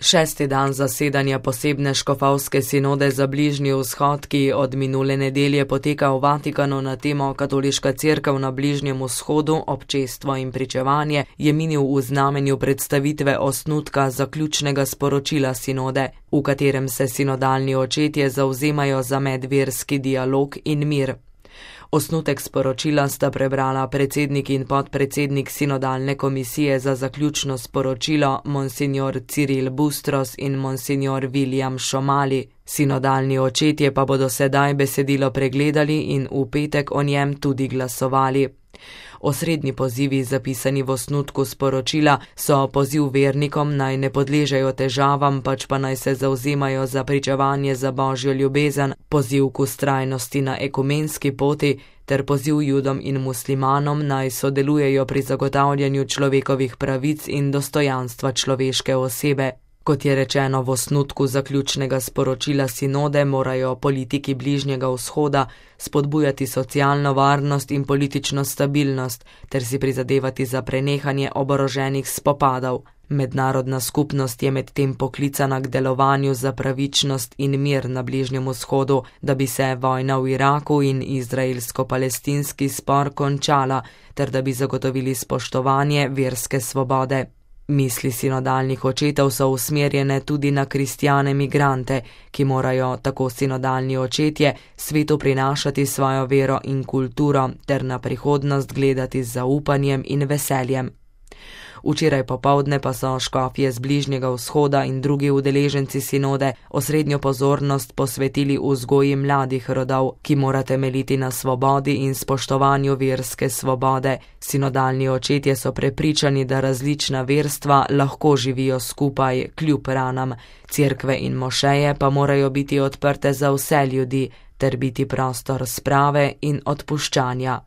Šesti dan zasedanja posebne škofovske sinode za Bližnji vzhod, ki od minule nedelje poteka v Vatikanu na temo Katoliška cerkev na Bližnjem vzhodu, občestvo in pričevanje, je minil v znamenju predstavitve osnutka zaključnega sporočila sinode, v katerem se sinodalni očetje zavzemajo za medverski dialog in mir. Osnutek sporočila sta prebrala predsednik in podpredsednik sinodalne komisije za zaključno sporočilo monsignor Cyril Bustros in monsignor William Šomali. Sinodalni očetje pa bodo sedaj besedilo pregledali in v petek o njem tudi glasovali. Osrednji pozivi, zapisani v osnutku sporočila, so poziv vernikom naj ne podležejo težavam, pač pa naj se zavzemajo za pričevanje za božjo ljubezen, poziv k vztrajnosti na ekumenski poti ter poziv Judom in muslimanom naj sodelujejo pri zagotavljanju človekovih pravic in dostojanstva človeške osebe. Kot je rečeno v osnutku zaključnega sporočila sinode, morajo politiki Bližnjega vzhoda spodbujati socialno varnost in politično stabilnost ter si prizadevati za prenehanje oboroženih spopadov. Mednarodna skupnost je medtem poklicana k delovanju za pravičnost in mir na Bližnjem vzhodu, da bi se vojna v Iraku in izraelsko-palestinski spor končala ter da bi zagotovili spoštovanje verske svobode. Misli sinodalnih očetov so usmerjene tudi na kristjane migrante, ki morajo, tako sinodalni očetje, svetu prinašati svojo vero in kulturo ter na prihodnost gledati z zaupanjem in veseljem. Včeraj popoldne pa so škofje z Bližnjega vzhoda in drugi udeleženci sinode osrednjo pozornost posvetili vzgoji mladih rodov, ki mora temeljiti na svobodi in spoštovanju verske svobode. Sinodalni očetje so prepričani, da različna verstva lahko živijo skupaj kljub ranam. Cerkve in mošeje pa morajo biti odprte za vse ljudi ter biti prostor sprave in odpuščanja.